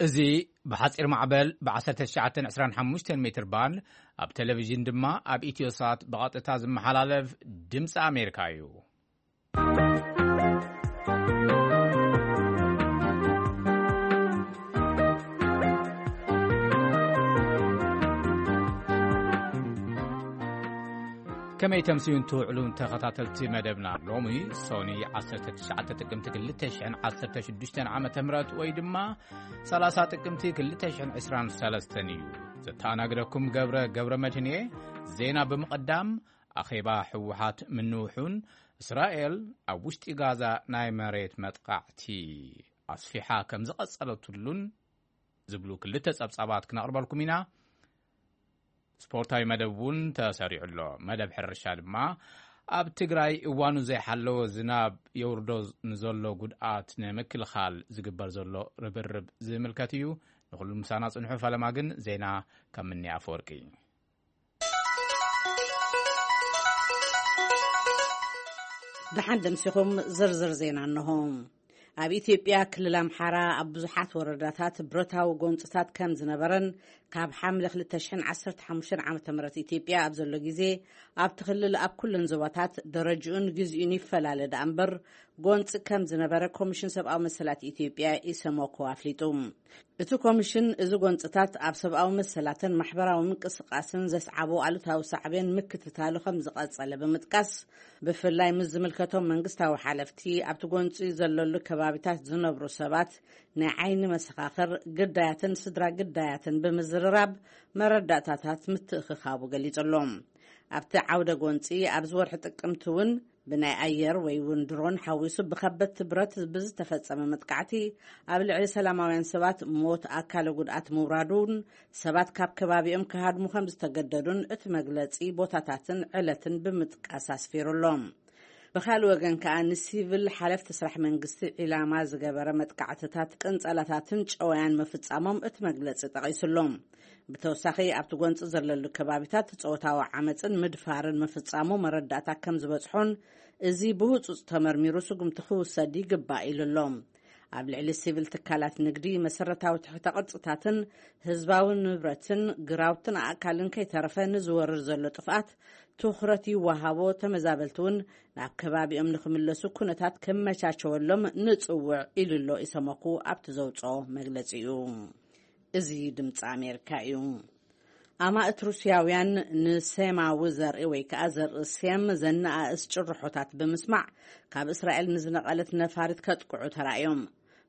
እዚ ብሓጺር ማዕበል ብ1925 ሜትር ባንድ፣ ኣብ ቴሌቪዥን ድማ ኣብ ኢትዮሳት ብቐጥታ ዝመሓላለፍ ድምፂ ኣሜሪካ እዩ። ከመይ ተምስዩን ትውዕሉን ተኸታተልቲ መደብና? ሎሚ ሶኒ 19 ጥቅምቲ 2016 ዓመተ ምህረት ወይ ድማ 30 ጥቅምቲ 2023 እዩ። ዘተኣናግደኩም ገብረ ገብረ መድህን እየ። ዜና ብምቕዳም፣ ኣኼባ ህወሓት ምንውሑን እስራኤል ኣብ ውሽጢ ጋዛ ናይ መሬት መጥቃዕቲ ኣስፊሓ ከም ዝቐጸለትሉን ዝብሉ ክልተ ጸብጻባት ክነቕርበልኩም ኢና። ስፖርታዊ መደብ እውን ተሰሪዑ ኣሎ። መደብ ሕርሻ ድማ ኣብ ትግራይ እዋኑ ዘይሓለወ ዝናብ የውርዶ ንዘሎ ጉድኣት ንምክልኻል ዝግበር ዘሎ ርብርብ ዝምልከት እዩ። ንኹሉ ምሳና ጽንሑ። ፈለማ ግን ዜና ካብ ምኒ ኣፈወርቂ። ደሓን ደምሲኹም። ዝርዝር ዜና እንሆ። ኣብ ኢትዮጵያ ክልል ኣምሓራ ኣብ ብዙሓት ወረዳታት ብረታዊ ጎንፅታት ከም ዝነበረን ካብ ሓምለ 2015 ዓመተ ምህረት ኢትዮጵያ ኣብ ዘሎ ግዜ ኣብቲ ክልል ኣብ ኩለን ዞባታት ደረጅኡን ግዜኡን ይፈላለ ደኣ እምበር ጎንፂ ከም ዝነበረ ኮሚሽን ሰብኣዊ መሰላት ኢትዮጵያ ኢሰመኮ ኣፍሊጡ። እቲ ኮሚሽን እዚ ጎንፅታት ኣብ ሰብኣዊ መሰላትን ማሕበራዊ ምንቅስቃስን ዘስዓቦ ኣሉታዊ ሳዕቤን ምክትታሉ ከም ዝቐጸለ ብምጥቃስ፣ ብፍላይ ምስ ዝምልከቶም መንግስታዊ ሓለፍቲ ኣብቲ ጎንፂ ዘለሉ ከባቢታት ዝነብሩ ሰባት፣ ናይ ዓይኒ መሰኻኽር፣ ግዳያትን ስድራ ግዳያትን ብምዝርራብ መረዳእታታት ምትእኽኻቡ ገሊጹ ኣሎ። ኣብቲ ዓውደ ጎንፂ ኣብዚ ወርሒ ጥቅምቲ እውን ብናይ ኣየር ወይ እውን ድሮን ሓዊሱ ብኸበድቲ ብረት ብዝተፈጸመ መጥቃዕቲ ኣብ ልዕሊ ሰላማውያን ሰባት ሞት፣ ኣካለ ጉድኣት ምውራዱን ሰባት ካብ ከባቢኦም ክሃድሙ ከም ዝተገደዱን እቲ መግለጺ ቦታታትን ዕለትን ብምጥቃስ ኣስፊሩ ኣሎ። ብኻልእ ወገን ከኣ ንሲቪል ሓለፍቲ ስራሕ መንግስቲ ዒላማ ዝገበረ መጥቃዕትታት ቅንጸላታትን ጨወያን ምፍጻሞም እቲ መግለጺ ጠቒሱ ኣሎ። ብተወሳኺ ኣብቲ ጎንፂ ዘለሉ ከባቢታት ጾታዊ ዓመፅን ምድፋርን ምፍጻሙ መረዳእታ ከም ዝበጽሖን እዚ ብህጹጽ ተመርሚሩ ስጉምቲ ክውሰድ ይግባእ ኢሉ ኣሎ። ኣብ ልዕሊ ሲቪል ትካላት ንግዲ መሰረታዊ ትሕተ ቅርጽታትን ህዝባዊ ንብረትን ግራውትን ኣእካልን ከይተረፈ ንዝወርድ ዘሎ ጥፍኣት ትኹረት ይወሃቦ፣ ተመዛበልቲ እውን ናብ ከባቢኦም ንክምለሱ ኩነታት ከመቻቸወሎም ንጽውዕ ኢሉ ኣሎ ኢሰመኩ ኣብቲ ዘውፅኦ መግለጺኡ። እዚ ድምፂ ኣሜሪካ እዩ። ኣማእት ሩስያውያን ንሴማዊ ዘርኢ ወይ ከኣ ዘርኢ ሴም ዘነኣእስ ጭርሖታት ብምስማዕ ካብ እስራኤል ንዝነቐለት ነፋሪት ከጥቅዑ ተራእዮም።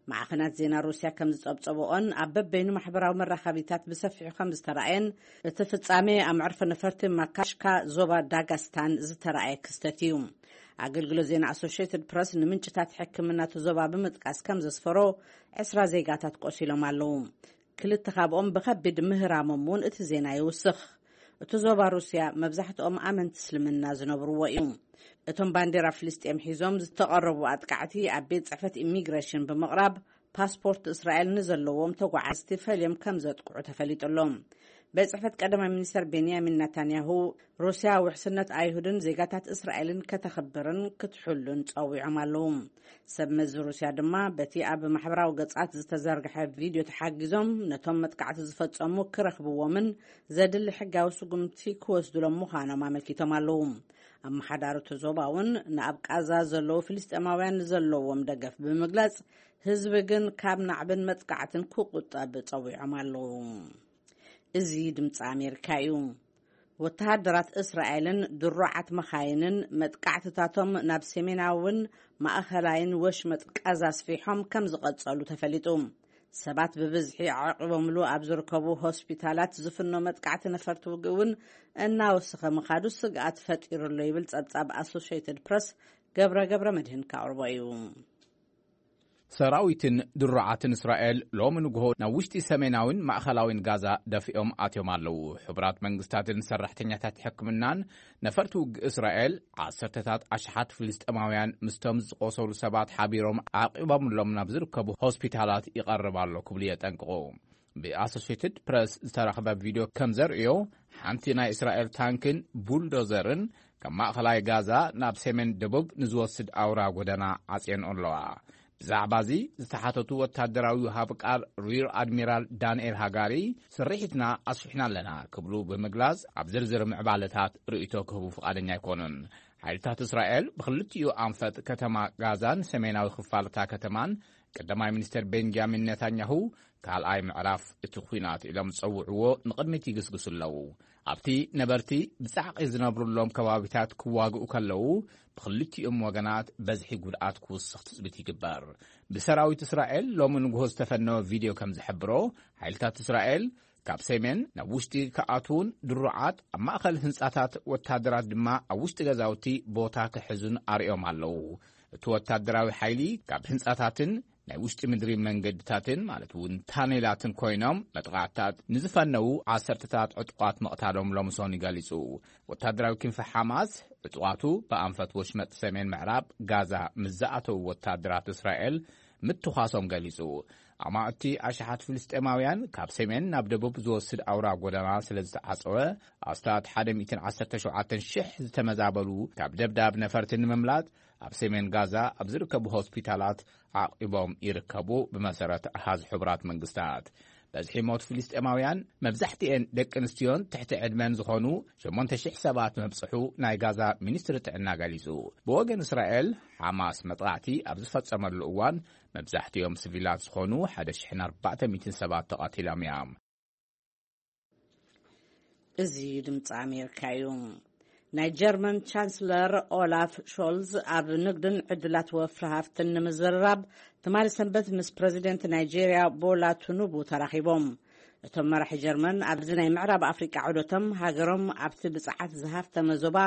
ማዕኸናት ዜና ሩስያ ከም ዝጸብጸብኦን ኣብ በበይኑ ማሕበራዊ መራኸቢታት ብሰፊሑ ከም ዝተራእየን እቲ ፍጻሜ ኣብ መዕርፎ ነፈርቲ ማካሽካ ዞባ ዳጋስታን ዝተራእየ ክስተት እዩ። ኣገልግሎት ዜና ኣሶሽየትድ ፕረስ ንምንጭታት ሕክምና እቲ ዞባ ብምጥቃስ ከም ዘስፈሮ ዕስራ ዜጋታት ቆሲሎም ኣለዉ። ክልተ ካብኦም ብኸቢድ ምህራሞም እውን እቲ ዜና ይውስኽ። እቲ ዞባ ሩስያ መብዛሕትኦም ኣመንቲ እስልምና ዝነብርዎ እዩ። እቶም ባንዴራ ፍልስጤም ሒዞም ዝተቐረቡ ኣጥቃዕቲ ኣብ ቤት ጽሕፈት ኢሚግሬሽን ብምቕራብ ፓስፖርት እስራኤል ንዘለዎም ተጓዓዝቲ ፈልዮም ከም ዘጥቅዑ ተፈሊጡ ኣሎ። ቤት ጽሕፈት ቀዳማይ ሚኒስተር ቤንያሚን ናታንያሁ ሩስያ ውሕስነት ኣይሁድን ዜጋታት እስራኤልን ከተኽብርን ክትሕሉን ጸዊዖም ኣለዉ። ሰብ መዚ ሩስያ ድማ በቲ ኣብ ማሕበራዊ ገጻት ዝተዘርግሐ ቪድዮ ተሓጊዞም ነቶም መጥቃዕቲ ዝፈጸሙ ክረኽብዎምን ዘድሊ ሕጋዊ ስጉምቲ ክወስዱሎም ምዃኖም ኣመልኪቶም ኣለዉ። ኣመሓዳሪ እቲ ዞባ እውን ንኣብ ቃዛ ዘለዉ ፍልስጤማውያን ዘለዎም ደገፍ ብምግላጽ፣ ህዝቢ ግን ካብ ናዕብን መጥቃዕትን ክቁጠብ ጸዊዖም ኣለዉ። እዚ ድምፂ ኣሜሪካ እዩ። ወተሃደራት እስራኤልን ድሩዓት መኻይንን መጥቃዕትታቶም ናብ ሰሜናውን ማእኸላይን ወሽመጥ ቃዛ ኣስፊሖም ከም ዝቐጸሉ ተፈሊጡ። ሰባት ብብዝሒ ዓቂቦምሉ ኣብ ዝርከቡ ሆስፒታላት ዝፍኖ መጥቃዕቲ ነፈርቲ ውግእ እውን እናወሰኸ ምኻዱ ስግኣት ፈጢሩ ኣሎ ይብል ጸብጻብ ኣሶሽየትድ ፕረስ ገብረ ገብረ መድህን ካቕርቦ እዩ። ሰራዊትን ድሩዓትን እስራኤል ሎሚ ንግሆ ናብ ውሽጢ ሰሜናዊን ማእኸላዊን ጋዛ ደፊኦም ኣትዮም ኣለዉ። ሕቡራት መንግስታትን ሰራሕተኛታት ሕክምናን ነፈርቲ ውግእ እስራኤል ዓሰርተታት ኣሽሓት ፍልስጤማውያን ምስቶም ዝቆሰሉ ሰባት ሓቢሮም ዓቂቦምሎም ናብ ዝርከቡ ሆስፒታላት ይቐርብ ኣሎ ክብሉ የጠንቅቑ። ብኣሶሴትድ ፕረስ ዝተረኽበ ቪድዮ ከም ዘርእዮ፣ ሓንቲ ናይ እስራኤል ታንክን ቡልዶዘርን ካብ ማእኸላይ ጋዛ ናብ ሰሜን ደቡብ ንዝወስድ ኣውራ ጎደና ዓጽየን ኣለዋ። ብዛዕባ እዚ ዝተሓተቱ ወታደራዊ ሃብ ቃል ሪር ኣድሚራል ዳንኤል ሃጋሪ፣ ስርሒትና ኣስፊሕና ኣለና ክብሉ ብምግላጽ፣ ኣብ ዝርዝር ምዕባለታት ርእይቶ ክህቡ ፍቓደኛ ኣይኮኑን። ሓይልታት እስራኤል ብኽልቲኡ ኣንፈት ከተማ ጋዛን ሰሜናዊ ክፋልታ ከተማን ቀዳማይ ሚኒስተር ቤንጃሚን ኔታንያሁ ካልኣይ ምዕራፍ እቲ ኲናት ኢሎም ዝጸውዕዎ ንቕድሚት ይግስግሱ ኣለዉ። ኣብቲ ነበርቲ ብጻዕቒ ዝነብሩሎም ከባቢታት ክዋግኡ ከለዉ፣ ብኽልቲኦም ወገናት በዝሒ ጉድኣት ክውስኽ ትጽቢት ይግበር። ብሰራዊት እስራኤል ሎሚ ንግሆ ዝተፈነወ ቪድዮ ከም ዝሕብሮ፣ ሓይልታት እስራኤል ካብ ሰሜን ናብ ውሽጢ ክኣትዉን ድሩዓት ኣብ ማእከል ህንጻታት ወታደራት ድማ ኣብ ውሽጢ ገዛውቲ ቦታ ክሕዙን ኣርእዮም ኣለዉ። እቲ ወታደራዊ ሓይሊ ካብ ህንጻታትን ናይ ውሽጢ ምድሪ መንገድታትን ማለት እውን ታኔላትን ኮይኖም መጥቓዕትታት ንዝፈነዉ ዓሰርተታት ዕጡቓት ምቕታሎም ሎምሶኒ ገሊጹ። ወታደራዊ ክንፊ ሓማስ ዕጡቓቱ ብኣንፈት ወሽመጥ ሰሜን ምዕራብ ጋዛ ምስ ዝኣተዉ ወታደራት እስራኤል ምትዃሶም ገሊጹ። ኣማእቲ ኣሽሓት ፍልስጤማውያን ካብ ሰሜን ናብ ደቡብ ዝወስድ ኣውራ ጎደና ስለ ዝተዓጸወ፣ ኣስታት ሓደ ሚእትን ዓሰርተ ሸውዓተን ሽሕ ዝተመዛበሉ ካብ ደብዳብ ነፈርቲ ንምምላጥ ኣብ ሰሜን ጋዛ ኣብ ዝርከቡ ሆስፒታላት ዓቂቦም ይርከቡ፣ ብመሰረት ኣሃዝ ሕቡራት መንግስታት። በዝሒ ሞት ፍልስጤማውያን፣ መብዛሕትኤን ደቂ ኣንስትዮን ትሕቲ ዕድመን ዝኾኑ ሸሞንተ ሽሕ ሰባት ምብጽሑ ናይ ጋዛ ሚኒስትሪ ጥዕና ገሊጹ። ብወገን እስራኤል፣ ሓማስ መጥቃዕቲ ኣብ ዝፈጸመሉ እዋን፣ መብዛሕትኦም ስቪላት ዝኾኑ ሓደ ሽሕን ኣርባዕተ ሚእትን ሰባት ተቐቲሎም እዮም። እዚ ድምፂ ኣሜሪካ እዩ። ናይ ጀርመን ቻንስለር ኦላፍ ሾልዝ ኣብ ንግድን ዕድላት ወፍሪ ሃፍትን ንምዝርራብ ትማሊ ሰንበት ምስ ፕረዚደንት ናይጄርያ ቦላ ቱኑቡ ተራኺቦም። እቶም መራሒ ጀርመን ኣብዚ ናይ ምዕራብ ኣፍሪቃ ዑደቶም ሃገሮም ኣብቲ ብፅዓት ዝሃፍተመ ዞባ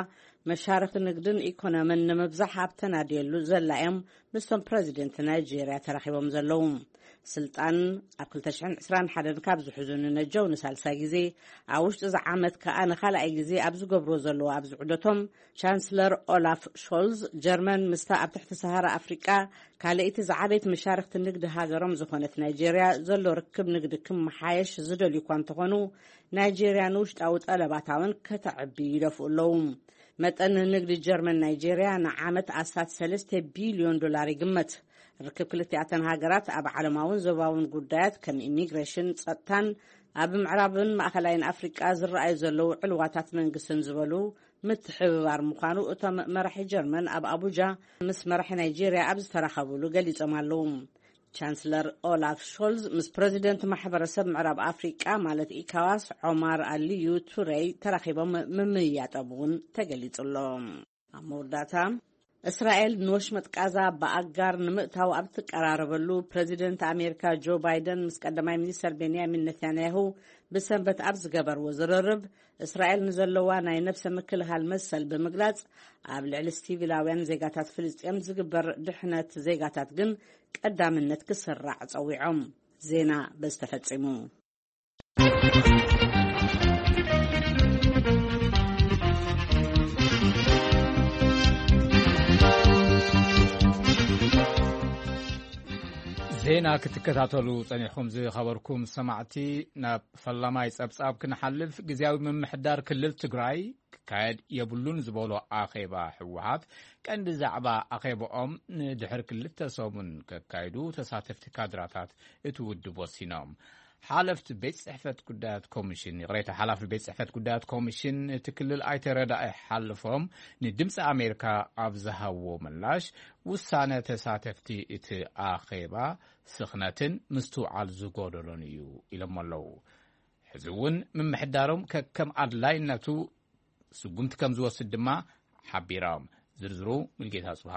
መሻርኽቲ ንግድን ኢኮኖምን ንምብዛሕ ኣብ ተናድየሉ ዘላ እዮም ምስቶም ፕረዚደንት ናይጄርያ ተራኺቦም ዘለዉ። ስልጣን ኣብ ክልተ ሽሕን ዕስራን ሓደን ካብ ዝሕዙ ንነጀው ንሳልሳይ ግዜ፣ ኣብ ውሽጢ እዚ ዓመት ከኣ ንኻልኣይ ግዜ ኣብ ዝገብርዎ ዘለዉ ኣብዚ ዑደቶም፣ ቻንስለር ኦላፍ ሾልዝ ጀርመን ምስታ ኣብ ትሕቲ ሰሃራ ኣፍሪቃ ካልኣይቲ ዝዓበየት መሻርኽቲ ንግዲ ሃገሮም ዝኾነት ናይጄርያ ዘሎ ርክብ ንግዲ ክመሓየሽ ዝደልዩ እኳ እንተኾኑ፣ ናይጄርያ ንውሽጣዊ ጠለባታ እውን ከተዕቢ ይደፍኡ ኣለዉ። መጠን ንግዲ ጀርመን ናይጄርያ ንዓመት ኣስታት ሰለስተ ቢልዮን ዶላር ይግመት። ርክብ ክልቲኣተን ሃገራት ኣብ ዓለማውን ዞባውን ጉዳያት ከም ኢሚግሬሽን፣ ጸጥታን ኣብ ምዕራብን ማእኸላይን ኣፍሪቃ ዝረኣዩ ዘለዉ ዕልዋታት መንግስትን ዝበሉ ምትሕብባር ምዃኑ እቶም መራሒ ጀርመን ኣብ ኣቡጃ ምስ መራሒ ናይጄርያ ኣብ ዝተራኸብሉ ገሊጾም ኣለዉ። ቻንስለር ኦላፍ ሾልዝ ምስ ፕረዚደንት ማሕበረሰብ ምዕራብ ኣፍሪቃ ማለት ኢካዋስ ዖማር ኣልዩ ቱረይ ተራኺቦም ምምይያጦም እውን ተገሊጹ ኣሎ። ኣብ መወዳእታ፣ እስራኤል ንወሽመጥ ቃዛ ብኣጋር ንምእታው ኣብ ትቀራረበሉ፣ ፕረዚደንት ኣሜሪካ ጆ ባይደን ምስ ቀዳማይ ሚኒስተር ቤንያሚን ነታንያሁ ብሰንበት ኣብ ዝገበርዎ ዝርርብ፣ እስራኤል ንዘለዋ ናይ ነብሰ ምክልኻል መሰል ብምግላጽ፣ ኣብ ልዕሊ ሲቪላውያን ዜጋታት ፍልስጤም ዝግበር ድሕነት ዜጋታት ግን ቀዳምነት ክስራዕ ጸዊዖም። ዜና በዚ ተፈጺሙ። ዜና ክትከታተሉ ጸኒሕኩም ዝኸበርኩም ሰማዕቲ፣ ናብ ፈላማይ ጸብጻብ ክንሓልፍ፣ ግዝያዊ ምምሕዳር ክልል ትግራይ ክካየድ የብሉን ዝበሎ ኣኼባ ህወሓት፣ ቀንዲ ዛዕባ ኣኼባኦም ንድሕሪ ክልተ ሰሙን ከካይዱ ተሳተፍቲ ካድራታት እቲ ውድብ ወሲኖም። ሓለፍቲ ቤት ጽሕፈት ጉዳያት ኮሚሽን፣ ይቕሬታ፣ ሓላፊ ቤት ጽሕፈት ጉዳያት ኮሚሽን እቲ ክልል ኣይተ ረዳኢ ሓልፎም ንድምፂ ኣሜሪካ ኣብ ዝሃብዎ ምላሽ፣ ውሳነ ተሳተፍቲ እቲ ኣኼባ ስኽነትን ምስትውዓል ዝጎደሎን እዩ ኢሎም ኣለዉ። ሕዚ እውን ምምሕዳሮም ከከም ኣድላይነቱ ስጉምቲ ከም ዝወስድ ድማ ሓቢሮም። ዝርዝሩ ሙልጌታ ጽብሃ።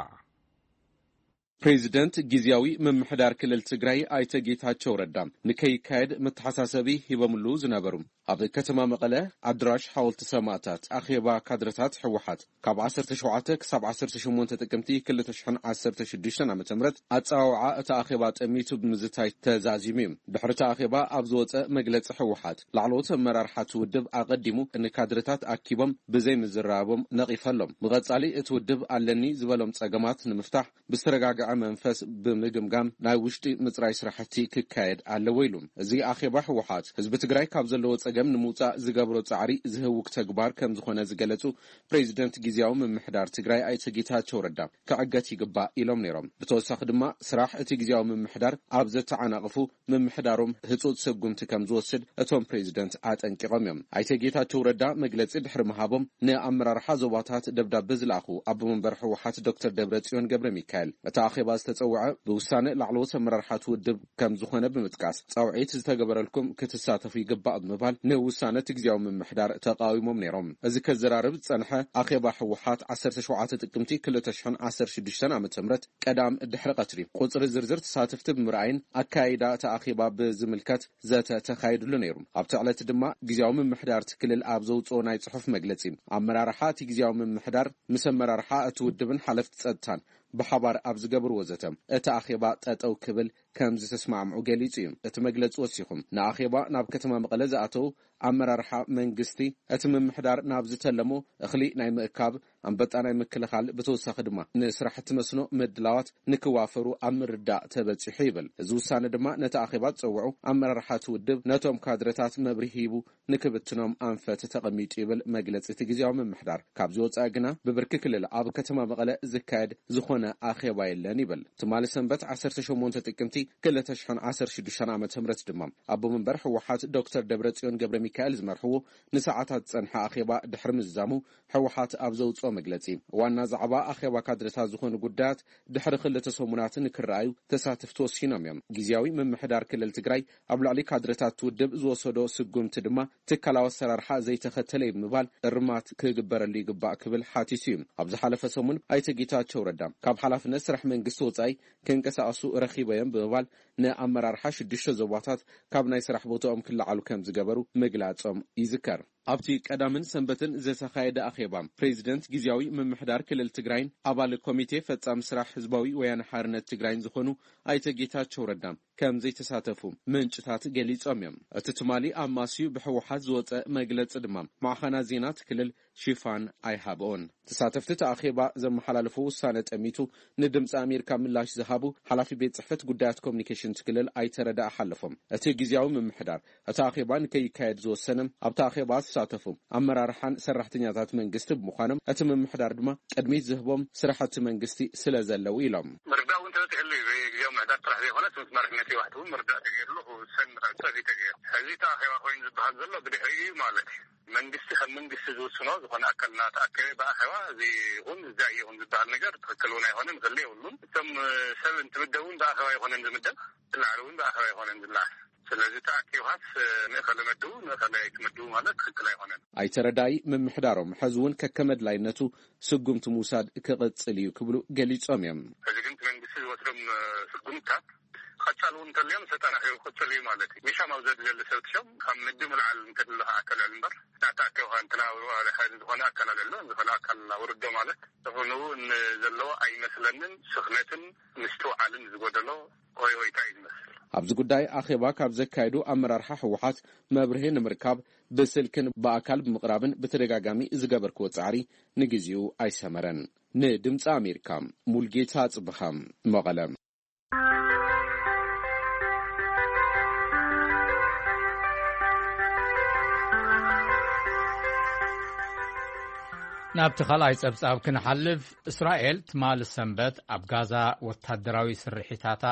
ፕሬዚደንት ግዝያዊ ምምሕዳር ክልል ትግራይ ኣይተ ጌታቸው ረዳ ንከይካየድ መተሓሳሰቢ ሂቦምሉ ዝነበሩ ኣብ ከተማ መቐለ ኣድራሽ ሓወልቲ ሰማእታት ኣኼባ ካድረታት ህወሓት ካብ ዓሰርተ ሸውዓተ ክሳብ ዓሰርተ ሸሞንተ ጥቅምቲ ክልተ ሽሕን ዓሰርተ ሽዱሽተን ዓመተ ምህረት ኣጸዋውዓ እቲ ኣኼባ ጠሚቱ ብምዝታይ ተዛዚሙ እዩ። ድሕሪ እቲ ኣኼባ ኣብ ዝወጸ መግለጺ ህወሓት ላዕለዎት ኣመራርሓ እቲ ውድብ ኣቐዲሙ ንካድረታት ኣኪቦም ብዘይ ምዝራቦም ነቒፈሎም። ብቐጻሊ እቲ ውድብ ኣለኒ ዝበሎም ጸገማት ንምፍታሕ ብዝተረጋግዐ መንፈስ ብምግምጋም ናይ ውሽጢ ምጽራይ ስራሕቲ ክካየድ ኣለዎ ኢሉ። እዚ ኣኼባ ህወሓት ህዝቢ ትግራይ ካብ ዘለዎ ጸገም ንምውጻእ ዝገብሮ ጻዕሪ ዝህውክ ተግባር ከም ዝኾነ ዝገለጹ ፕሬዚደንት ግዝያዊ ምምሕዳር ትግራይ ኣይተ ጌታቸው ረዳ ክዕገት ይግባእ ኢሎም ነይሮም። ብተወሳኺ ድማ ስራሕ እቲ ግዝያዊ ምምሕዳር ኣብ ዘተዓናቕፉ ምምሕዳሮም ህጹጽ ስጉምቲ ከም ዝወስድ እቶም ፕሬዚደንት ኣጠንቂቖም እዮም። ኣይተ ጌታቸው ረዳ መግለጺ ድሕሪ ምሃቦም ንኣመራርሓ ዞባታት ደብዳበ ዝለኣኹ ኣቦ መንበር ህወሓት ዶክተር ደብረ ጽዮን ገብረ ሚካኤል እቲ ኣኼባ ዝተጸውዐ ብውሳነ ላዕለዎት ኣመራርሓት ውድብ ከም ዝኾነ ብምጥቃስ ጻውዒት ዝተገበረልኩም ክትሳተፉ ይግባእ ብምባል ንውሳነ እቲ ግዝያዊ ምምሕዳር ተቃዊሞም ነይሮም። እዚ ከዘራርብ ዝጸንሐ ኣኼባ ህወሓት ዓሰርተ ሸውዓተ ጥቅምቲ ክልተ ሽሕን ዓሰርተ ሽዱሽተን ዓመተ ምህረት ቀዳም ድሕሪ ቀትሪ ቁጽሪ ዝርዝር ተሳተፍቲ ብምርኣይን ኣካይዳ እቲ ኣኼባ ብዝምልከት ዘተ ተኻይድሉ ነይሩ። ኣብቲ ዕለት ድማ ግዝያዊ ምምሕዳር እቲ ክልል ኣብ ዘውፅኦ ናይ ጽሑፍ መግለጺ ኣመራርሓ እቲ ግዝያዊ ምምሕዳር ምስ ኣመራርሓ እቲ ውድብን ሓለፍቲ ጸጥታን ብሓባር ኣብ ዝገብርዎ ዘተ እቲ ኣኼባ ጠጠው ክብል ከም ዝተስማዕምዑ ገሊጹ እዩ። እቲ መግለጺ ወሲኹ ንኣኼባ ናብ ከተማ መቐለ ዝኣተው ኣመራርሓ መንግስቲ እቲ ምምሕዳር ናብ ዝተለሞ እኽሊ ናይ ምእካብ ኣንበጣ ናይ ምክልኻል ብተወሳኺ ድማ ንስራሕቲ መስኖ ምድላዋት ንክዋፈሩ ኣብ ምርዳእ ተበጺሑ ይብል። እዚ ውሳነ ድማ ነቲ ኣኼባ ዝጸውዑ ኣመራርሓ እቲ ውድብ ነቶም ካድረታት መብርሂ ሂቡ ንክብትኖም ኣንፈት ተቐሚጡ ይብል መግለጺ እቲ ግዝያዊ ምምሕዳር። ካብዚ ወጻኢ ግና ብብርኪ ክልል ኣብ ከተማ መቐለ ዝካየድ ዝኾነ ኣኼባ የለን ይብል። ትማሊ ሰንበት ዓሰርተ ሸሞንተ ጥቅምቲ ክልተ ሽሕን ዓሰርተ ሽዱሽተን ዓመተ ምህረት ድማ ኣቦ መንበር ህወሓት ዶክተር ደብረጽዮን ገብረ ሚካኤል ዝመርሕዎ ንሰዓታት ዝጸንሐ ኣኼባ ድሕሪ ምዝዛሙ ህወሓት ኣብ ዘውፅኦ መግለፂ ዋና ዛዕባ ኣኼባ ካድረታት ዝኾኑ ጉዳያት ድሕሪ ክልተ ሰሙናት ንክረኣዩ ተሳተፍቲ ወሲኖም እዮም። ግዝያዊ ምምሕዳር ክልል ትግራይ ኣብ ልዕሊ ካድረታት ውድብ ዝወሰዶ ስጉምቲ ድማ ትካላዊ ኣሰራርሓ ዘይተኸተለ እዩ ብምባል እርማት ክግበረሉ ይግባእ ክብል ሓቲቱ እዩ። ኣብ ዝሓለፈ ሰሙን ኣይተ ጌታቸው ረዳ ካብ ሓላፍነት ስራሕ መንግስቲ ወፃኢ ክንቀሳቐሱ ረኺበዮም ብምባል ንኣመራርሓ ሽዱሽተ ዞባታት ካብ ናይ ስራሕ ቦታኦም ክለዓሉ ከም ዝገበሩ ምግላጾም ይዝከር። ኣብቲ ቀዳምን ሰንበትን ዝተኻየደ ኣኼባ ፕሬዚደንት ግዝያዊ ምምሕዳር ክልል ትግራይን ኣባል ኮሚቴ ፈጻሚ ስራሕ ህዝባዊ ወያነ ሓርነት ትግራይን ዝኾኑ ኣይተ ጌታቸው ረዳ ከም ዘይተሳተፉ ምንጭታት ገሊጾም እዮም። እቲ ትማሊ ኣማስዩ ብህወሓት ዝወጸ መግለጺ ድማ ማዕኸናት ዜና እቲ ክልል ሽፋን ኣይሃብኦን። ተሳተፍቲ እቲ ኣኼባ ዘመሓላለፉ ውሳነ ጠሚቱ ንድምፂ ኣሜሪካ ምላሽ ዝሃቡ ሓላፊ ቤት ጽሕፈት ጉዳያት ኮሚኒኬሽን እቲ ክልል ኣይተ ረዳኢ ሓለፎም፣ እቲ ግዝያዊ ምምሕዳር እቲ ኣኼባ ንከይካየድ ዝወሰነ ኣብቲ ኣኼባ ዝተሳተፉ ኣመራርሓን ሰራሕተኛታት መንግስቲ ብምዃኖም እቲ ምምሕዳር ድማ ቅድሚት ዝህቦም ስራሕቲ መንግስቲ ስለ ዘለዉ ኢሎም። ምርዳእ እውን ተበፂሕሉ እዩ። ግዝያዊ ምምሕዳር ጥራሕ ዘይኮነስ ምስ መሪሕነት ህወሓት እውን ምርዳእ ተገይርሉ ክውሰን ንኽእል ተገይሩ። ሕዚ እቲ ኣኼባ ኮይኑ ዝበሃል ዘሎ ብድሕሪኡ እዩ ማለት እዩ። መንግስቲ ከም መንግስቲ ዝውስኖ ዝኾነ ኣካል እናተኣከበ ብኣኼባ እዚ ይኹን እዚ ኣይኹን ዝበሃል ነገር ትኽክል እውን ኣይኮነን፣ ክህሉ የብሉን። እቶም ሰብ እንትምደቡ እውን ብኣኼባ ኣይኮነን ዝምደብ፣ ዝለዓሉ እውን ብኣኼባ ኣይኮነን ዝለዓል። ስለዚ ተኣኪብካስ ንእኸለ መድቡ ንእኸለ ኣይትመድቡ ማለት ትኽክል ኣይኮነን። ኣይተ ረዳኢ ምምሕዳሮም ሕዚ እውን ከከመ ኣድላይነቱ ስጉምቲ ምውሳድ ክቕጽል እዩ ክብሉ ገሊጾም እዮም። ሕዚ ግን እቲ መንግስቲ ዝወስዶም ስጉምትታት ቀጻሊ እውን እንተልዮም ተጠናኺሩ ክቕጽል እዩ ማለት እዩ። ሚሻም ኣብ ዘድልየሉ ሰብ ትሸም ካብ ምድብ ንላዕሊ እንተድለኻ ኣካል ልዕሊ እምበር ናታ ኣካል እንትና ሓደ ዝኾነ ኣካል ኣለሎ፣ ዝኸነ ኣካል ኣውርዶ ማለት ዝኾኑ ንዘለዎ ኣይመስለንን። ስኽነትን ምስትውዓልን ዝጎደሎ ሆይ ሆይታ እዩ ዝመስል። ኣብዚ ጉዳይ ኣኼባ ካብ ዘካየዱ ኣመራርሓ ህወሓት መብርሂ ንምርካብ ብስልክን ብኣካል ብምቕራብን ብተደጋጋሚ ዝገበርክዎ ጻዕሪ ንግዚኡ ኣይሰመረን። ንድምፂ ኣሜሪካ ሙልጌታ ጽብሃም መቐለ። ናብቲ ካልኣይ ጸብጻብ ክንሓልፍ፣ እስራኤል ትማሊ ሰንበት ኣብ ጋዛ ወታደራዊ ስርሒታታ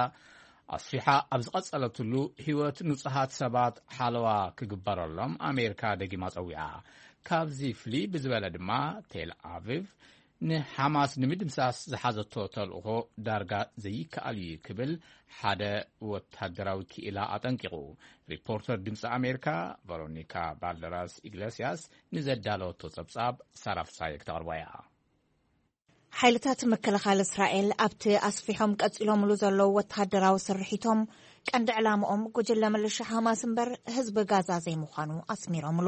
ኣስፊሓ ኣብ ዝቐጸለትሉ፣ ህይወት ንጹሃት ሰባት ሓለዋ ክግበረሎም ኣሜሪካ ደጊማ ጸዊዓ። ካብዚ ፍልይ ብዝበለ ድማ፣ ቴል ኣቪቭ ንሓማስ ንምድምሳስ ዝሓዘቶ ተልእኾ ዳርጋ ዘይከኣል እዩ ክብል ሓደ ወታደራዊ ክኢላ ኣጠንቂቑ። ሪፖርተር ድምፂ ኣሜሪካ ቨሮኒካ ባልደራስ ኢግሌስያስ ንዘዳለወቶ ጸብጻብ ሳራ ፍሳየ ክተቕርቦ እያ። ሓይልታት ምክልኻል እስራኤል ኣብቲ ኣስፊሖም ቀጺሎምሉ ዘለዉ ወተሃደራዊ ስርሒቶም፣ ቀንዲ ዕላምኦም ጉጅለ ምልሻ ሓማስ እምበር ህዝቢ ጋዛ ዘይምዃኑ ኣስሚሮምሉ።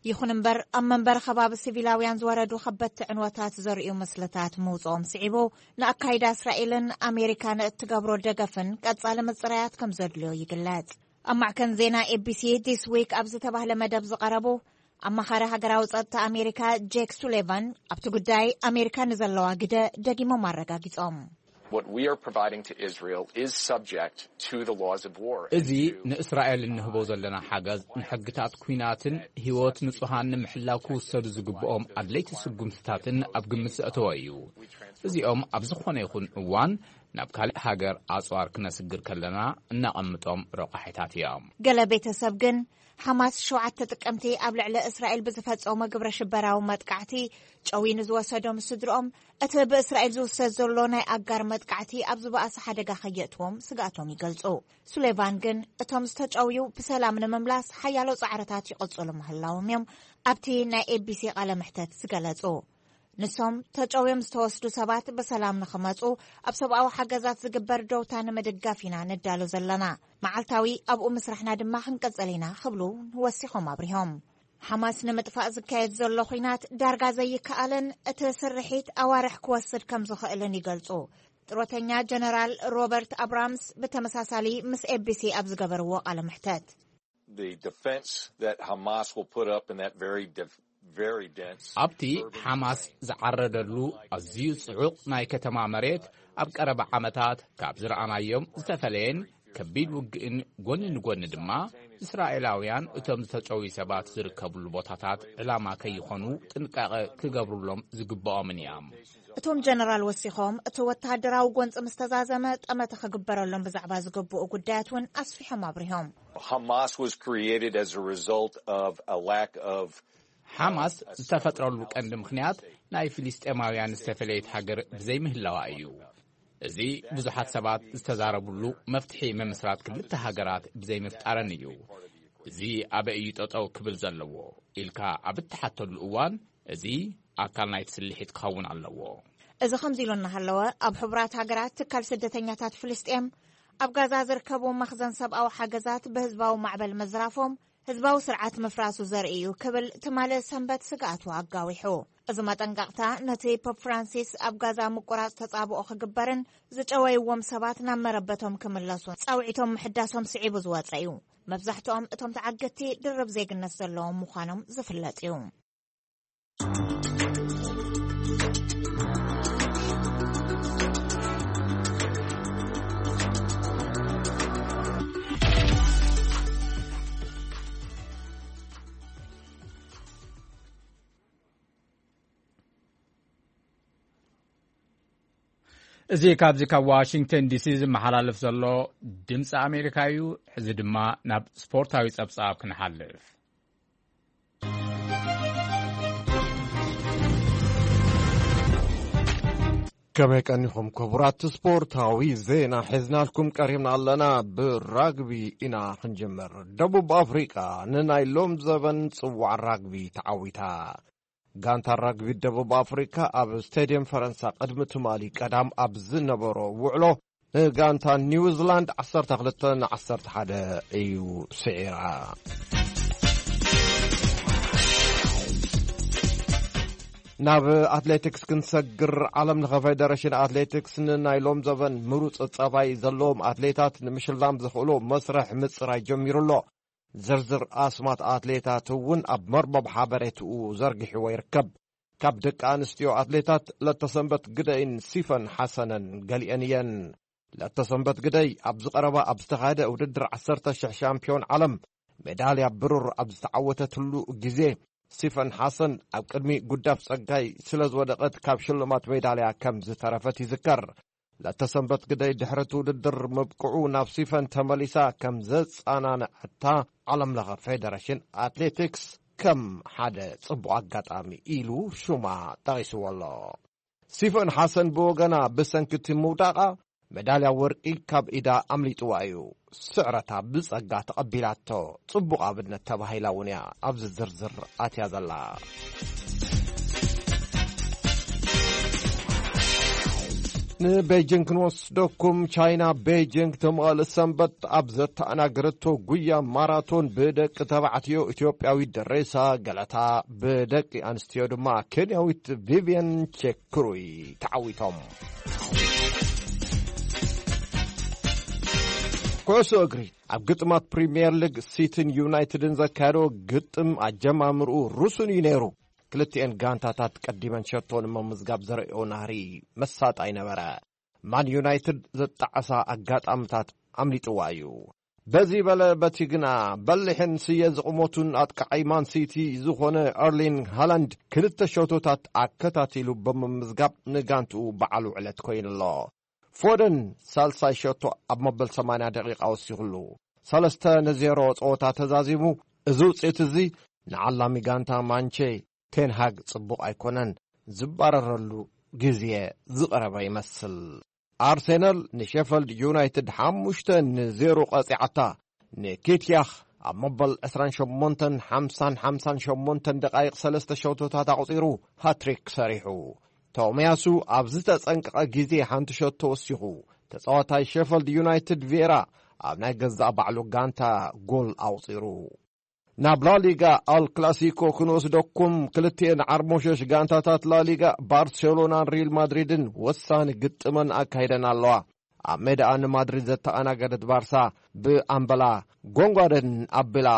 ይኹን እምበር፣ ኣብ መንበሪ ከባቢ ሲቪላውያን ዝወረዱ ከበድቲ ዕንወታት ዘርእዩ ምስልታት ምውጽኦም ስዒቡ፣ ንኣካይዳ እስራኤልን ኣሜሪካን እትገብሮ ደገፍን ቀጻሊ ምጽራያት ከም ዘድልዮ ይግለጽ። ኣብ ማዕከን ዜና ኤቢሲ ዲስ ዊክ ኣብ ዝተባህለ መደብ ዝቐረቡ ኣማኻሪ ሃገራዊ ጸጥታ ኣሜሪካ ጄክ ሱሌቫን ኣብቲ ጉዳይ ኣሜሪካ ንዘለዋ ግደ ደጊሞም ኣረጋጊጾም። What we are providing to Israel is subject to the laws of war. እዚ ንእስራኤል እንህቦ ዘለና ሓገዝ ንሕግታት ኲናትን ህይወት ንጹሃን ንምሕላው ክውሰዱ ዝግብኦም ኣድለይቲ ስጉምትታትን ኣብ ግምት ዘእተወ እዩ። እዚኦም ኣብ ዝኾነ ይኹን እዋን ናብ ካልእ ሃገር ኣጽዋር ክነስግር ከለና እነቐምጦም ረቋሒታት እዮም። ገለ ቤተሰብ ግን ሓማስ ሸውዓተ ጥቅምቲ ኣብ ልዕሊ እስራኤል ብዝፈጸሞ ግብረ ሽበራዊ መጥቃዕቲ ጨዊ ንዝወሰዶም ስድርኦም እቲ ብእስራኤል ዝውሰድ ዘሎ ናይ ኣጋር መጥቃዕቲ ኣብ ዝበኣሰ ሓደጋ ከየእትዎም ስግኣቶም ይገልጹ። ሱሌቫን ግን እቶም ዝተጨውዩ ብሰላም ንምምላስ ሓያሎ ጻዕርታት ይቕጽሉ ምህላዎም እዮም ኣብቲ ናይ ኤቢሲ ቃለ መሕተት ዝገለጹ። ንሶም ተጨውዮም ዝተወስዱ ሰባት ብሰላም ንኽመጹ ኣብ ሰብኣዊ ሓገዛት ዝግበር ደውታ ንምድጋፍ ኢና ንዳሎ ዘለና። መዓልታዊ ኣብኡ ምስራሕና ድማ ክንቅጽል ኢና ክብሉ ወሲኾም ኣብሪሆም። ሓማስ ንምጥፋእ ዝካየድ ዘሎ ኹናት ዳርጋ ዘይከኣልን እቲ ስርሒት ኣዋርሕ ክወስድ ከም ዝኽእልን ይገልጹ። ጥሮተኛ ጀነራል ሮበርት ኣብራምስ ብተመሳሳሊ ምስ ኤቢሲ ኣብ ዝገበርዎ ቃለ ምሕተት The defense that Hamas will put up in that very def- very dense ኣብቲ ሓማስ ዝዓረደሉ ኣዝዩ ጽዑቕ ናይ ከተማ መሬት ኣብ ቀረባ ዓመታት ካብ ዝረኣናዮም ዝተፈለየን ከቢድ ውግእን ጎኒ ንጎኒ ድማ እስራኤላውያን እቶም ዝተጨውዩ ሰባት ዝርከብሉ ቦታታት ዕላማ ከይኾኑ ጥንቃቐ ክገብሩሎም ዝግብኦምን እዮም። እቶም ጀነራል ወሲኾም እቲ ወተሃደራዊ ጎንፂ ምስ ተዛዘመ ጠመተ ክግበረሎም ብዛዕባ ዝግብኡ ጉዳያት እውን ኣስፊሖም ኣብሪሆም። Hamas was created as a result of a lack of ሓማስ ዝተፈጥረሉ ቀንዲ ምኽንያት ናይ ፍልስጤማውያን ዝተፈለየት ሃገር ብዘይምህላዋ እዩ። እዚ ብዙሓት ሰባት ዝተዛረብሉ መፍትሒ ምምስራት ክልተ ሃገራት ብዘይምፍጣረን እዩ። እዚ ኣበይ እዩ ጠጠው ክብል ዘለዎ ኢልካ ኣብ እትሓተሉ እዋን እዚ ኣካል ናይቲ ስልሒት ክኸውን ኣለዎ። እዚ ከምዚ ኢሉ እናሃለወ ኣብ ሕቡራት ሃገራት ትካል ስደተኛታት ፍልስጤም ኣብ ጋዛ ዝርከቡ መኽዘን ሰብኣዊ ሓገዛት ብህዝባዊ ማዕበል ምዝራፎም ህዝባዊ ስርዓት ምፍራሱ ዘርኢ እዩ ክብል ትማሊ ሰንበት ስግኣቱ ኣጋዊሑ። እዚ መጠንቀቕታ ነቲ ፖፕ ፍራንሲስ ኣብ ጋዛ ምቁራጽ ተጻብኦ ክግበርን ዝጨወይዎም ሰባት ናብ መረበቶም ክምለሱ ጻውዒቶም ምሕዳሶም ስዒቡ ዝወጸ እዩ። መብዛሕትኦም እቶም ተዓገቲ ድርብ ዜግነት ዘለዎም ምዃኖም ዝፍለጥ እዩ። እዚ ካብዚ ካብ ዋሽንግተን ዲሲ ዝመሓላለፍ ዘሎ ድምፂ ኣሜሪካ እዩ። ሕዚ ድማ ናብ ስፖርታዊ ፀብፃብ ክንሓልፍ። ከመይ ቀኒኹም ክቡራት? ስፖርታዊ ዜና ሒዝናልኩም ቀሪብና ኣለና። ብራግቢ ኢና ክንጅምር። ደቡብ ኣፍሪቃ ንናይ ሎም ዘበን ጽዋዕ ራግቢ ተዓዊታ። ጋንታ ራግቢ ደቡብ ኣፍሪካ ኣብ ስቴድየም ፈረንሳ ቅድሚ ትማሊ ቀዳም ኣብ ዝነበሮ ውዕሎ ንጋንታ ኒውዚላንድ ዓሰርተ ክልተ ንዓሰርተ ሓደ እዩ ስዒራ። ናብ ኣትሌቲክስ ክንሰግር። ዓለም ለኸ ፌደሬሽን ኣትሌቲክስ ንናይ ሎም ዘበን ምሩፅ ፀባይ ዘለዎም ኣትሌታት ንምሽላም ዘኽእሎ መስርሕ ምፅራይ ጀሚሩ ኣሎ። ዝርዝር ኣስማት ኣትሌታት እውን ኣብ መርበብ ሓበሬትኡ ዘርጊሕዎ ይርከብ። ካብ ደቂ ኣንስትዮ ኣትሌታት ለተሰንበት ግደይን ሲፈን ሓሰነን ገሊአን እየን። ለተሰንበት ግደይ ኣብዚ ቀረባ ኣብ ዝተኻየደ ውድድር ዓሰርተ ሽሕ ሻምፒዮን ዓለም ሜዳልያ ብሩር ኣብ ዝተዓወተትሉ ግዜ፣ ሲፈን ሓሰን ኣብ ቅድሚ ጉዳፍ ጸጋይ ስለ ዝወደቐት ካብ ሽልማት ሜዳልያ ከም ዝተረፈት ይዝከር። ለተሰንበት ግደይ ድሕሪ እቲ ውድድር ምብቅዑ ናብ ሲፈን ተመሊሳ ከም ዘጸናንዐታ ዓለምለኸ ፌደሬሽን ኣትሌቲክስ ከም ሓደ ጽቡቕ ኣጋጣሚ ኢሉ ሹማ ጠቒስዎ ኣሎ። ሲፈን ሓሰን ብወገና ብሰንኪ እቲ ምውዳቓ መዳልያ ወርቂ ካብ ኢዳ ኣምሊጥዋ እዩ። ስዕረታ ብጸጋ ተቐቢላቶ። ጽቡቕ ኣብነት ተባሂላ እውን እያ ኣብዚ ዝርዝር ኣትያ ዘላ። ንቤጂንግ ክንወስደኩም። ቻይና ቤጂንግ ትማሊ ሰንበት ኣብ ዘተኣናገረቶ ጉያ ማራቶን ብደቂ ተባዕትዮ ኢትዮጵያዊ ደሬሳ ገለታ፣ ብደቂ ኣንስትዮ ድማ ኬንያዊት ቪቪየን ቼክሩይ ተዓዊቶም። ኩዕሶ እግሪ። ኣብ ግጥማት ፕሪምየር ሊግ ሲቲን ዩናይትድን ዘካየዶ ግጥም ኣጀማምርኡ ርሱን እዩ ነይሩ። ክልቲኤን ጋንታታት ቀዲመን ሸቶ ንምምዝጋብ ዘርእዮ ናህሪ መሳጣ ይነበረ። ማን ዩናይትድ ዘጣዕሳ ኣጋጣምታት ኣምሊጥዋ እዩ። በዚ በለ በቲ ግና፣ በሊሕን ስየ ዝቕሞቱን ኣጥቃዓይ ማን ሲቲ ዝኾነ ኤርሊንግ ሃላንድ ክልተ ሸቶታት ኣከታቲሉ ብምምዝጋብ ንጋንትኡ በዓል ውዕለት ኮይኑ ኣሎ። ፎደን ሳልሳይ ሸቶ ኣብ መበል ሰማንያ ደቂቃ ወሲኹሉ፣ ሰለስተ ንዜሮ ጸወታ ተዛዚሙ። እዚ ውጽኢት እዚ ንዓላሚ ጋንታ ማንቼ ቴንሃግ ጽቡቕ ኣይኮነን። ዝባረረሉ ግዜ ዝቐረበ ይመስል። ኣርሴናል ንሸፈልድ ዩናይትድ ሓሙሽተ ንዜሮ ቀጺዓታ። ንኬትያኽ ኣብ መበል ዕስራን ሸሞንተን፣ ሓምሳን ሓምሳን ሸሞንተን ደቓይቕ ሰለስተ ሸቶታት ኣቑጺሩ ሃትሪክ ሰሪሑ። ቶሚያሱ ኣብ ዝተጸንቀቐ ግዜ ሓንቲ ሸቶ ወሲኹ። ተጻዋታይ ሸፈልድ ዩናይትድ ቪየራ ኣብ ናይ ገዛእ ባዕሉ ጋንታ ጎል ኣቑጺሩ። ናብ ላሊጋ ኣል ክላሲኮ ክንወስደኩም። ክልቲኤን ዓርሞሸሽ ጋንታታት ላሊጋ ባርሴሎናን ሪል ማድሪድን ወሳኒ ግጥመን ኣካይደን ኣለዋ። ኣብ ሜዳኣ ንማድሪድ ዘተኣናገደት ባርሳ ብኣምበላ ጎንጓደን ኣቢላ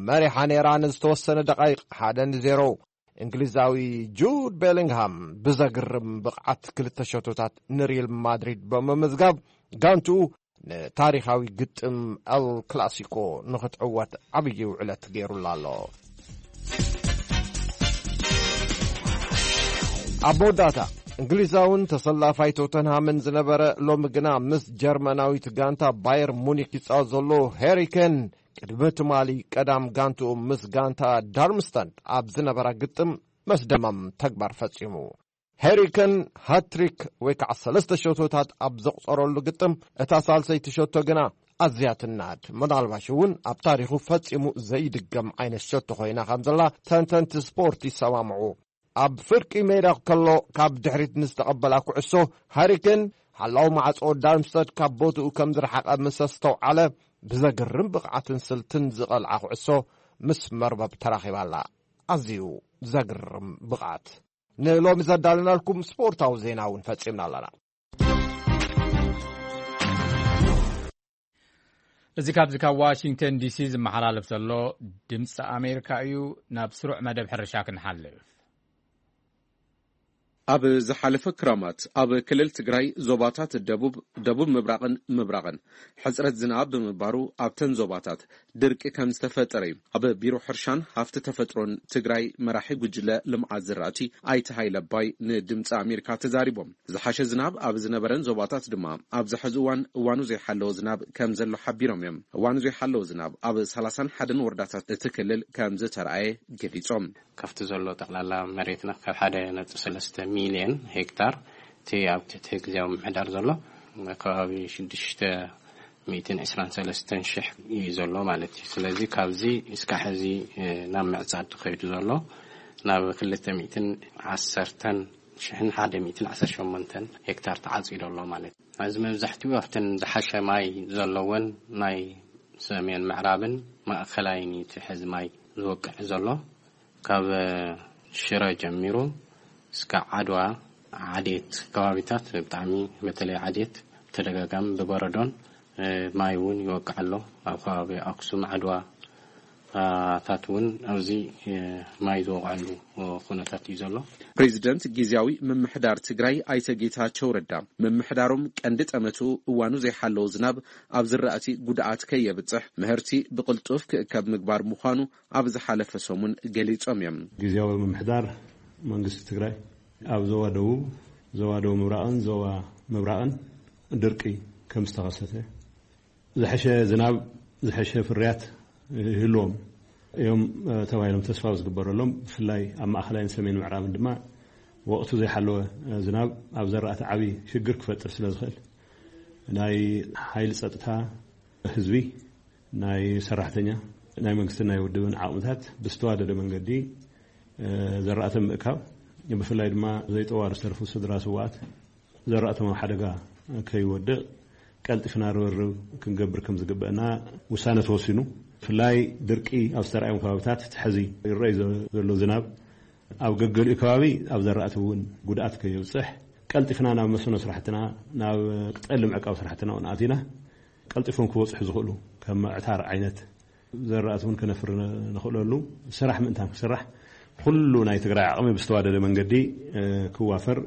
መሪሓ ነይራ። ንዝተወሰነ ደቃይቕ ሓደ ንዜሮ። እንግሊዛዊ ጁድ ቤሊንግሃም ብዘግርም ብቕዓት ክልተ ሸቶታት ንሪል ማድሪድ ብምምዝጋብ ጋንትኡ ንታሪኻዊ ግጥም ኤል ክላሲኮ ንኽትዕወት ዓብዪ ውዕለት ገይሩላ ኣሎ። ኣብ መወዳእታ፣ እንግሊዛውን ተሰላፋይ ቶተንሃምን ዝነበረ፣ ሎሚ ግና ምስ ጀርመናዊት ጋንታ ባየር ሙኒክ ይጻወት ዘሎ ሄሪ ኬን፣ ቅድሚ ትማሊ ቀዳም ጋንትኡ ምስ ጋንታ ዳርምስታድ ኣብ ዝነበራ ግጥም መስደመም ተግባር ፈጺሙ። ሄሪ ኬን ሃትሪክ ወይ ከዓ ሰለስተ ሸቶታት ኣብ ዘቑጸረሉ ግጥም፣ እታ ሳልሰይቲ ሸቶ ግና ኣዝያ ትናድ፣ ምናልባሽ እውን ኣብ ታሪኹ ፈጺሙ ዘይድገም ዓይነት ሸቶ ኮይና ከም ዘላ ተንተንቲ ስፖርት ይሰማምዑ። ኣብ ፍርቂ ሜዳ ከሎ ካብ ድሕሪት ንዝተቐበላ ኩዕሶ፣ ሃሪ ኬን ሓላው ማዕጾ ዳርምስተድ ካብ ቦትኡ ከም ዝረሓቐ ምስ ኣስተውዓለ፣ ብዘግርም ብቕዓትን ስልትን ዝቐልዓ ኩዕሶ ምስ መርበብ ተራኺባ ኣላ። ኣዝዩ ዘግርም ብቕዓት። ንሎሚ ዘዳለናልኩም ስፖርታዊ ዜና እውን ፈጺምና ኣለና። እዚ ካብዚ ካብ ዋሽንግተን ዲሲ ዝመሓላለፍ ዘሎ ድምፂ ኣሜሪካ እዩ። ናብ ስሩዕ መደብ ሕርሻ ክንሓልፍ። ኣብ ዝሓለፈ ክረማት ኣብ ክልል ትግራይ ዞባታት ደቡብ፣ ደቡብ ምብራቕን ምብራቕን ሕፅረት ዝናብ ብምንባሩ ኣብተን ዞባታት ድርቂ ከም ዝተፈጠረ እዩ ኣብ ቢሮ ሕርሻን ሃፍቲ ተፈጥሮን ትግራይ መራሒ ጉጅለ ልምዓት ዝራእቲ ኣይተ ሃይለ ኣባይ ንድምፂ ኣሜሪካ ተዛሪቦም። ዝሓሸ ዝናብ ኣብ ዝነበረን ዞባታት ድማ ኣብዚ ሕዚ እዋን እዋኑ ዘይሓለወ ዝናብ ከም ዘሎ ሓቢሮም እዮም። እዋኑ ዘይሓለወ ዝናብ ኣብ ሰላሳን ሓደን ወረዳታት እቲ ክልል ከም ዝተረኣየ ገሊጾም። ካብቲ ዘሎ ጠቕላላ መሬትና ካብ ሓደ ነጥቢ ሰለስተ ሚልዮን ሄክታር እቲ ኣብ ትሕቲ ግዜያዊ ምምሕዳር ዘሎ ከባቢ ሽዱሽተ ሚእትን ዕስራን ሰለስተን ሽሕ እዩ ዘሎ ማለት እዩ። ስለዚ ካብዚ እስካዕ ሕዚ፣ እ፣ ናብ ምዕጻድ ከይዱ ዘሎ ናብ ክልተ ሚእትን ዓሰርተን ሽሕን ሓደ ሚእትን ዓሰርተ ሸሞንተን ሄክታር ተዓጺዱ ኣሎ ማለት እዩ። እዚ መብዛሕትኡ ኣብተን ዝሓሸ ማይ ዘለወን ናይ ሰሜን ምዕራብን ማእከላይን እዩ እቲ ሕዚ ማይ ዝወቅዕ ዘሎ። ካብ ሽረ ጀሚሩ እስከ ዓድዋ፣ ዓዴት ከባቢታት ብጣዕሚ፣ በተለይ ዓዴት ተደጋጋሚ ብበረዶን፣ እ፣ ማይ እውን ይወቅዕ ኣሎ። ኣብ ከባቢ ኣክሱም፣ ዓድዋ፣ ታት እውን ኣብዚ፣ እ፣ ማይ ዝወቅዐሉ ኩነታት እዩ ዘሎ። ፕሬዚደንት ግዝያዊ ምምሕዳር ትግራይ ኣይተ ጌታቸው ረዳ፣ ምምሕዳሮም ቀንዲ ጠመቱ እዋኑ ዘይሓለወ ዝናብ ኣብ ዝራእቲ ጉድኣት ከየብፅሕ፣ ምህርቲ ብቕልጡፍ ክእከብ ምግባር ምዃኑ ኣብ ዝሓለፈ ሰሙን ገሊጾም እዮም። ግዝያዊ ምምሕዳር መንግስቲ ትግራይ ኣብ ዞባ ደቡብ፣ ዞባ ደቡብ ምብራቕን ዞባ ምብራቕን ድርቂ ከም ዝተኸሰተ፣ ዝሐሸ ዝናብ፣ ዝሐሸ ፍርያት ይህልዎም እዮም፣ እ፣ ተባሂሎም ተስፋ ዝግበረሎም፣ ብፍላይ ኣብ ማእኸላይን ሰሜን ምዕራብን ድማ ወቕቱ ዘይሓለወ፣ እ፣ ዝናብ ኣብ ዘራእቲ ዓብዪ ሽግር ክፈጥር ስለ ዝኽእል፣ ናይ ሓይሊ ጸጥታ፣ ህዝቢ፣ ናይ ሰራሕተኛ፣ ናይ መንግስትን ናይ ውድብን ዓቕምታት ብዝተዋደደ መንገዲ፣ እ፣ ዘራእቲ ምእካብ፣ ብፍላይ ድማ ዘይጠዋሪ ዝተረፉ ስድራ ስውኣት ዘራእቶም ኣብ ሓደጋ ከይወድቕ ቀልጢፍና ርብርብ ክንገብር ከም ዝግበአና ውሳነ ተወሲኑ። ብፍላይ ድርቂ ኣብ ዝተራእዮም ከባቢታት፣ እቲ ሕዚ ይረኣይ ዘሎ ዝናብ ኣብ ገገሊኡ ከባቢ ኣብ ዘራእቲ እውን ጉድኣት ከየብፅሕ፣ ቀልጢፍና ናብ መስኖ ስራሕትና፣ ናብ ቅጠሊ ምዕቃብ ስራሕትና እውን ኣቲና፣ ቀልጢፎም ክበፅሑ ዝኽእሉ ከም ምዕታር ዓይነት ዘራእቲ እውን ከነፍሪ ንኽእለሉ ስራሕ ምእንታን ክስራሕ፣ ኩሉ ናይ ትግራይ ዓቕሚ ብዝተዋደደ መንገዲ፣ እ፣ ክዋፈር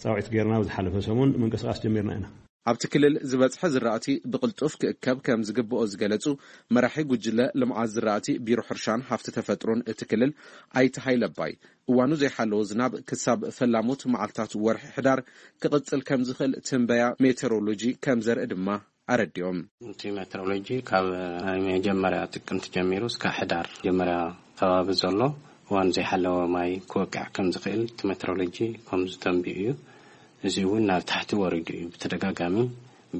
ፃውዒት ጌርና ኣብ ዝሓለፈ ሰሙን ምንቅስቃስ ጀሚርና ኢና። ኣብቲ ክልል ዝበፅሐ ዝራእቲ ብቕልጡፍ ክእከብ ከም ዝግብኦ ዝገለፁ መራሒ ጉጅለ ልምዓት ዝራእቲ ቢሮ ሕርሻን ሃፍቲ ተፈጥሮን እቲ ክልል ኣይተ ሃይለባይ፣ እዋኑ ዘይሓለወ ዝናብ ክሳብ ፈላሞት መዓልታት ወርሒ ሕዳር ክቕፅል ከም ዝኽእል ትንበያ ሜቴሮሎጂ ከም ዘርኢ ድማ ኣረዲኦም። እቲ ሜትሮሎጂ ካብ ናይ መጀመርያ ጥቅምቲ ጀሚሩ እስካብ ሕዳር መጀመርያ ከባቢ ዘሎ እዋን ዘይሓለወ ማይ ክወቅዕ ከም ዝኽእል እቲ ሜትሮሎጂ ከም ዝተንብዩ እዩ። እዚ እውን ናብ ታሕቲ ወሪዱ እዩ። ብተደጋጋሚ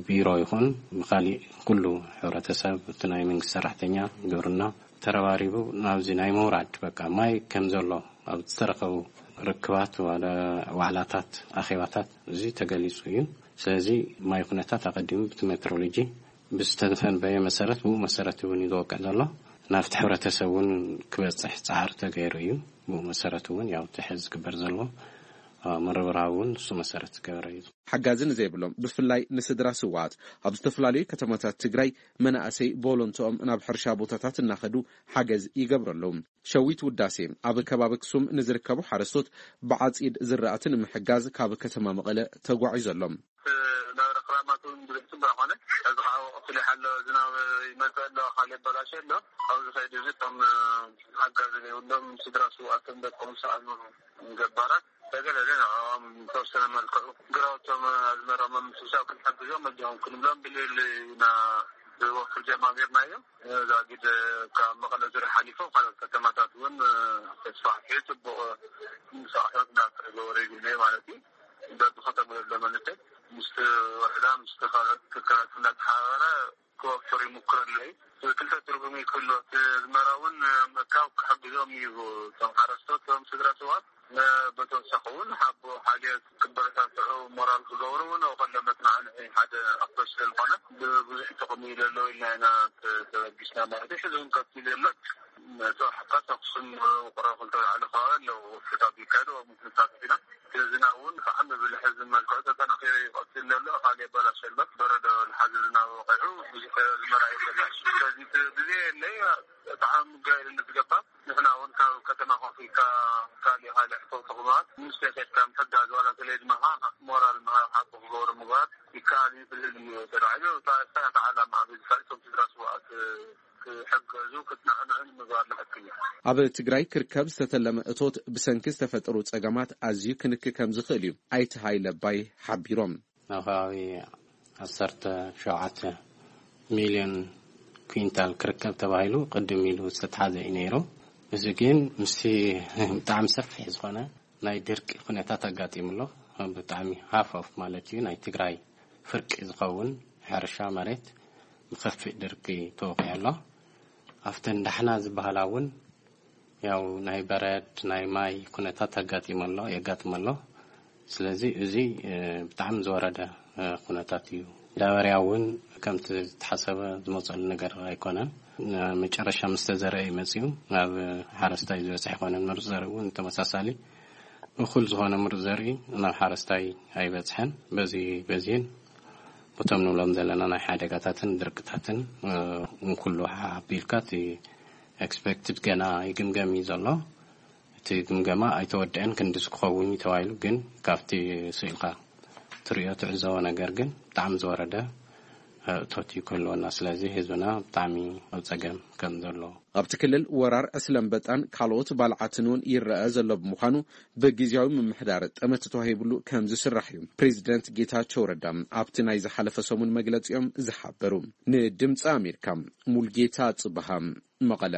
ቢሮ ይኹን ብካሊእ ኩሉ ሕብረተሰብ፣ እቲ ናይ መንግስቲ ሰራሕተኛ፣ ግብርና ተረባሪቡ ናብዚ ናይ ምውራድ፣ በቃ፣ ማይ ከም ዘሎ ኣብ ዝተረኸቡ ርክባት፣ ዋላ ዋዕላታት፣ ኣኼባታት እዚ ተገሊጹ እዩ። ስለዚ ማይ ኩነታት ኣቐዲሙ ብቲ ሜትሮሎጂ ብዝተተንበየ መሰረት፣ ብኡ መሰረት እውን እዩ ዝወቅዕ ዘሎ። ናብቲ ሕብረተሰብ እውን ክበጽሕ ጻዕሪ ተገይሩ እዩ። ብኡ መሰረት እውን ያው እቲ ሕዚ ዝግበር ዘሎ፣ አ፣ ምርብራብ እውን ንሱ መሰረት ዝገበረ እዩ። ሓጋዚ ንዘይብሎም፣ ብፍላይ ንስድራ ስውኣት፣ ኣብ ዝተፈላለዩ ከተማታት ትግራይ መናእሰይ ቮሎንትኦም ናብ ሕርሻ ቦታታት እናኸዱ ሓገዝ ይገብሩ ኣለዉ። ሸዊት ውዳሴ ኣብ ከባቢ ኣክሱም ንዝርከቡ ሓረስቶት ብዓፂድ ዝራእቲ ንምሕጋዝ ካብ ከተማ መቐለ ተጓዒዙ ኣሎ። ናብራ ክራማት እውን ብዙሕ ፅቡቅ ኣይኮነ። እዚ ከዓ ወቅቲ ሊሓ ኣሎ፣ ዝናብ ይመፅእ ኣሎ፣ ካልእ በላሽ ኣሎ። ኣብዚ ከይዲ እዚ እቶም ሓጋዚ ዘይብሎም ስድራ ስውኣትን ደቆም ዝሰኣኑ ገባራት ተገለለ ንዕኦም ዝተወሰነ መልክዑ ግራውቶም ኣዝመራ ምምስሳው ክንሕግዞም መጃኹም ክንብሎም ብልል ኢና ብወፍር ጀማሚርናዮ። ዛጊድ ካብ መቐለ ዙርያ ሓሊፎም ካልኦት ከተማታት እውን ተስፋሕፊሑ ፅቡቕ ምንቅስቃሳት እንዳተገበረ ይግነ ማለት እዩ። በብከተማ ዘሎ መንእሰይ ምስቲ ወረዳ ምስቲ ካልኦት ትካላት እንዳተሓባበረ ክወፍር ይምክር ኣሎ እዩ። ክልተ ትርጉም እዩ ክህልዎ። እቲ ኣዝመራ እውን ምእካብ ክሕግዞም እዩ። እቶም ሓረስቶት፣ እቶም ስድራ ሰባት፣ ነ-፣ በተወሳኺ እውን ሓቦ ሓልዮት ክበረታትዑ፣ ሞራል ክገብሩ እውን ኣብ ከሎ መጽናዕንዒ ሓደ ኣፕሮች ስለዝኾነ ብብዙሕ ጥቕሚ እዩ ዘለዎ ኢልና ኢና ተ-፣ ተበጊስና ማለት እዩ። ሕዚ እውን ቀፂሉ ዘሎ። እቲ ሓካስ ኣክሱም ውቅሮ ክልተ ወልዓሎ ከባቢ ኣለዉ። ወፍታት ይካየዱ፣ ኣብ ምክንታት ኢና። እቲ ዝናብ እውን ብጣዕሚ ብልሕዚ መልክዑ ተጠናኺሩ ይቐፅል ዘሎ። ካልእ በላሽ ኣሎ። በረዶ ዝሓዘ ዝናብ ወቒዑ ብዙሕ ኣዝመራ ይበላሽ። ስለዚ እቲ ግዜ የለይ፣ ብጣዕሚ ምጋየሉ ንዝገባ። ንሕና እውን ካብ ከተማ ኮፍ ኢልካ ካልእ ካልእ ሕቶ ተኽማት ምስ ተሰድካ ምሕጋዝ ዋላ ተለይ ድማ ሞራል ምሃብ ሓቂ ክገብሩ ምግባር ይከኣል እዩ። ብልል እዩ ተባሂሉ። እታ፣ እታ፣ እታ ዓላማ ኣብዚ ካልእ እቶም ስድራ ስውኣት ክሕገዙ፣ ክጽናዕንዑ ንምግባር ዝሕክል እዩ። ኣብ ትግራይ ክርከብ ዝተተለመ እቶት ብሰንኪ ዝተፈጠሩ ጸገማት ኣዝዩ ክንኪ ከም ዝኽእል እዩ ኣይተ ሃይለ ኣባይ ሓቢሮም። ኣብ ከባቢ ዓሰርተ ሸውዓተ ሚልዮን ኩንታል ክርከብ ተባሂሉ ቅድም ኢሉ ዝተትሓዘ እዩ ነይሩ። እዚ ግን ምስቲ ብጣዕሚ ሰፊሕ ዝኾነ ናይ ድርቂ ኩነታት ኣጋጢሙ ኣሎ። ብጣዕሚ ሃፍ ኦፍ ማለት እዩ፣ ናይ ትግራይ ፍርቂ ዝኸውን ሕርሻ መሬት ብኸፊእ ድርቂ ተወቒዑ ኣሎ። ኣብተን ዳሕና ዝበሃላ እውን ያው ናይ በረድ ናይ ማይ ኩነታት ኣጋጢሙ ኣሎ፣ የጋጥም ኣሎ። ስለዚ እዚ፣ እ፣ ብጣዕሚ ዝወረደ፣ እ፣ ኩነታት እዩ። ዳበርያ እውን ከምቲ ዝተሓሰበ ዝመፀሉ ነገር ኣይኮነን። ን-፣ መጨረሻ ምስ ተዘርአ እዩ መፂኡ። ናብ ሓረስታይ ዝበፅሕ ኣይኮነን። ምሩፅ ዘርኢ እውን ተመሳሳሊ እኹል ዝኾነ ምሩፅ ዘርኢ ናብ ሓረስታይ ኣይበፅሐን። በዚ፣ በዚን በቶም ንብሎም ዘለና ናይ ሓደጋታትን ድርቅታትን፣ እ፣ ንኩሉ ሓቢልካ እቲ ኤክስፔክትድ ገና ይግምገም እዩ ዘሎ። እቲ ግምገማ ኣይተወደአን፣ ክንድዚ ክኸውን እዩ ተባሂሉ፣ ግን ካብቲ ስኢልካ ትሪኦ ትዕዘቦ ነገር ግን ብጣዕሚ ዝወረደ፣ እ፣ እቶት እዩ ክህልወና። ስለዚ ህዝብና ብጣዕሚ ኣብ ጸገም ከም ዘሎ። ኣብቲ ክልል ወራር ዕስለ ኣንበጣን ካልኦት ባልዓትን እውን ይረአ ዘሎ ብምዃኑ ብግዝያዊ ምምሕዳር ጠመተ ተዋሂብሉ ከም ዝስራሕ እዩ ፕሬዚደንት ጌታቸው ረዳ ኣብቲ ናይ ዝሓለፈ ሰሙን መግለጺኦም ዝሓበሩ። ንድምፂ ኣሜሪካ ሙልጌታ ጽብሃ መቐለ።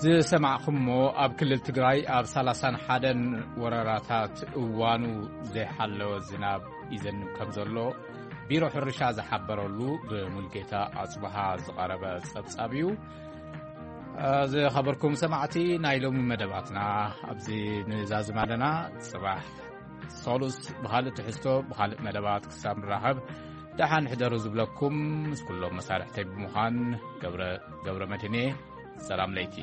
ዝሰማዕኹምዎ ኣብ ክልል ትግራይ ኣብ ሰላሳን ሓደን ወረዳታት እዋኑ ዘይሓለወ ዝናብ ይዘንብ ከም ዘሎ ቢሮ ሕርሻ ዝሓበረሉ ብሙልጌታ ኣጽብሃ ዝቐረበ ጸብጻብ እዩ። ዝኸበርኩም ሰማዕቲ፣ ናይ ሎሚ መደባትና ኣብዚ ንዛዝም ኣለና። ጽባሕ ሰሉስ ብኻልእ ትሕዝቶ፣ ብኻልእ መደባት ክሳብ ንራኸብ፣ ደሓን ሕደሩ ዝብለኩም ምስ ኩሎም መሳርሕተይ ብምዃን ገብረ፣ ገብረ መድህኔ፣ ሰላም ለይቲ።